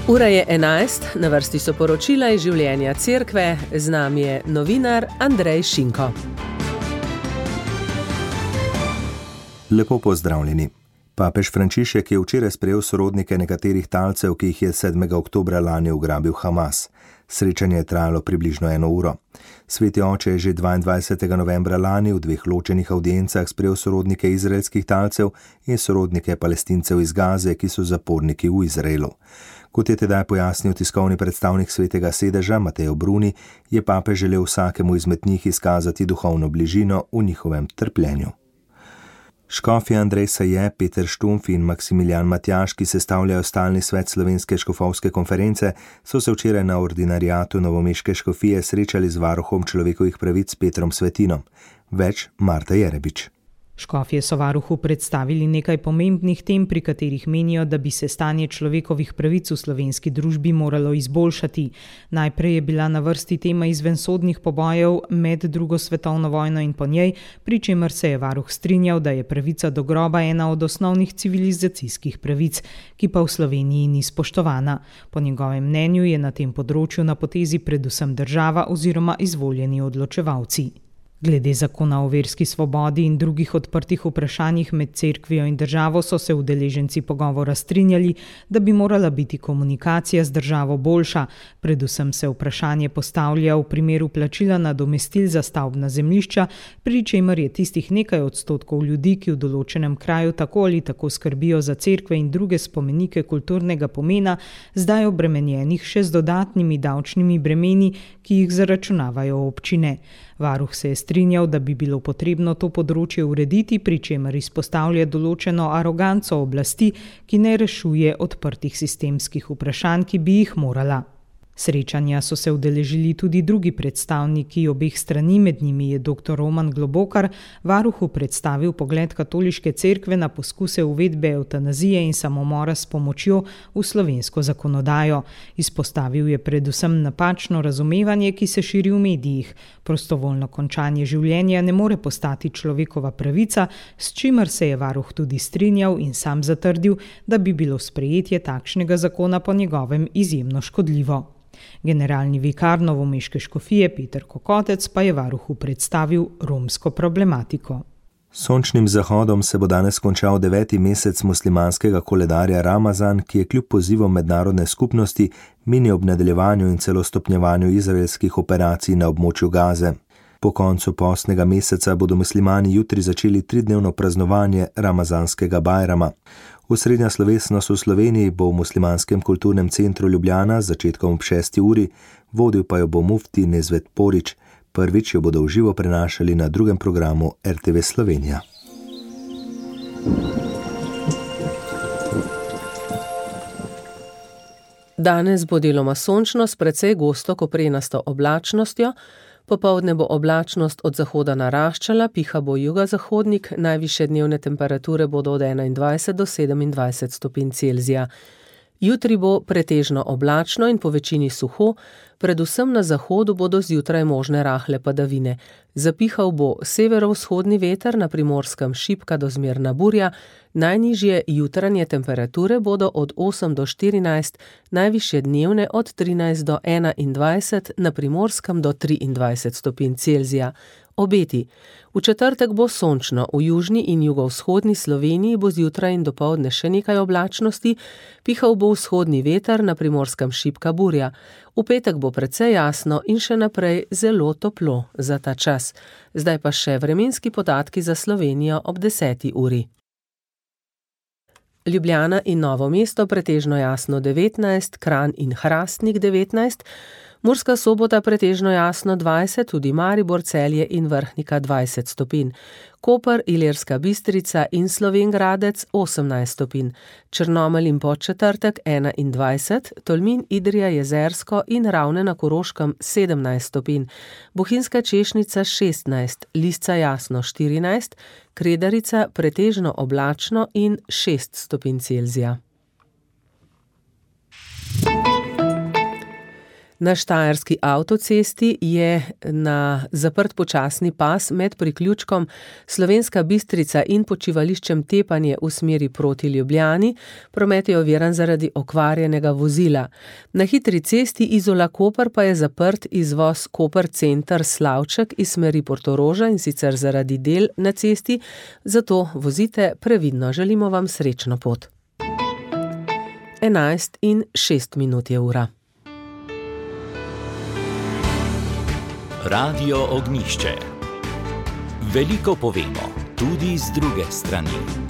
Ura je 11, na vrsti so poročila iz življenja cerkve, z nami je novinar Andrej Šinko. Lepo pozdravljeni. Papež Frančišek je včeraj sprejel sorodnike nekaterih talcev, ki jih je 7. oktobra lani ugrabil Hamas. Srečanje je trajalo približno 1 uro. Sveti oče je že 22. novembra lani v 2 ločenih avdiencah sprejel sorodnike izraelskih talcev in sorodnike Palestincev iz Gaze, ki so zaporniki v Izraelu. Kot je tedaj pojasnil tiskovni predstavnik Svetega sedeža Mateo Bruni, je papež želel vsakemu izmed njih izkazati duhovno bližino v njihovem trpljenju. Škofje Andrej Saje, Peter Štumpf in Maksimilijan Matjaž, ki sestavljajo stalni svet Slovenske škofovske konference, so se včeraj na ordinariatu novomeške škofije srečali z varuhom človekovih pravic Petrom Svetinom. Več Marta Jerebič. Škofje so varuhu predstavili nekaj pomembnih tem, pri katerih menijo, da bi se stanje človekovih pravic v slovenski družbi moralo izboljšati. Najprej je bila na vrsti tema izvensodnih pobojev med drugo svetovno vojno in po njej, pri čemer se je varuh strinjal, da je pravica do groba ena od osnovnih civilizacijskih pravic, ki pa v Sloveniji ni spoštovana. Po njegovem mnenju je na tem področju na potezi predvsem država oziroma izvoljeni odločevalci. Glede zakona o verski svobodi in drugih odprtih vprašanjih med cerkvijo in državo so se udeleženci pogovora strinjali, da bi morala biti komunikacija z državo boljša. Predvsem se vprašanje postavlja v primeru plačila nadomestil za stavbna zemljišča, pri čemer je tistih nekaj odstotkov ljudi, ki v določenem kraju tako ali tako skrbijo za cerkve in druge spomenike kulturnega pomena, zdaj obremenjenih še z dodatnimi davčnimi bremeni, ki jih zaračunavajo občine. Varuh se je strinjal, da bi bilo potrebno to področje urediti, pri čemer izpostavlja določeno aroganco oblasti, ki ne rešuje odprtih sistemskih vprašanj, ki bi jih morala. Srečanja so se udeležili tudi drugi predstavniki obeh strani, med njimi je dr. Roman Globokar varuhu predstavil pogled katoliške cerkve na poskuse uvedbe evtanazije in samomora s pomočjo v slovensko zakonodajo. Izpostavil je predvsem napačno razumevanje, ki se širi v medijih. Prostovoljno končanje življenja ne more postati človekova pravica, s čimer se je varuh tudi strinjal in sam zatrdil, da bi bilo sprejetje takšnega zakona po njegovem izjemno škodljivo. Generalni vikar novomeške škofije Peter Kokotec pa je varuhu predstavil romsko problematiko. Sončnim zahodom se bo danes končal 9. mesec muslimanskega koledarja Ramazan, ki je kljub pozivom mednarodne skupnosti minil ob nadaljevanju in celo stopnjevanju izraelskih operacij na območju Gaze. Po koncu postnega meseca bodo muslimani jutri začeli 3-dnevno praznovanje ramazanskega bajrama. Osrednja slovesnost v Sloveniji bo v Muslimanskem kulturnem centru Ljubljana z začetkom ob 6. uri, vodil pa jo bo mufti Nezvet Porić. Prvič jo bodo v živo prenašali na drugem programu RTV Slovenija. Danes bo deloma sončno s precej gosto koprenasto oblačnostjo. Popoldne bo oblačnost od zahoda naraščala, piha bo jugozahodnik, najvišje dnevne temperature bodo od 21 do 27 stopinj Celzija. Jutri bo pretežno oblačno in po večini suho, predvsem na zahodu bodo zjutraj možne rahle padavine. Zapihal bo severovzhodni veter, na Primorskem šibka do zmerna burja, najnižje jutranje temperature bodo od 8 do 14, najvišje dnevne od 13 do 21, na Primorskem do 23 stopinj Celzija. Obeti. V četrtek bo sončno, v južni in jugovzhodni Sloveniji bo zjutraj in dopoldne še nekaj oblačnosti, pihal bo vzhodni veter, na Primorskem šibka burja. V petek bo precej jasno in še naprej zelo toplo za ta čas. Zdaj pa še vremenski podatki za Slovenijo ob 10. uri. Ljubljana in Novo mesto pretežno jasno 19, Kranj in Hrastnik 19, Murska Sobota pretežno jasno 20, tudi Maribor, Celje in Vrhnika 20 stopinj. Koper, Ilirska Bistrica in Slovenj Gradec 18 stopinj. Črnomelj in Podčetrtek 21, Tolmin, Idrija, Jezersko in Ravne na Koroškem 17 stopinj. Bohinjska Češnica 16, Lisca jasno 14, Kredarica pretežno oblačno in 6 stopinj Celzija. Na štajerski avtocesti je na zaprt počasni pas med priključkom Slovenska Bistrica in počivališčem Tepanje v smeri proti Ljubljani. Promet je oviran zaradi okvarjenega vozila. Na hitri cesti Izola-Koper pa je zaprt izvoz Koper center Slavček iz smeri Portoroža, in sicer zaradi del na cesti, zato vozite previdno. Želimo vam srečno pot. 11:06 je ura. Radio Ognjišče. Veliko povemo, tudi z druge strani.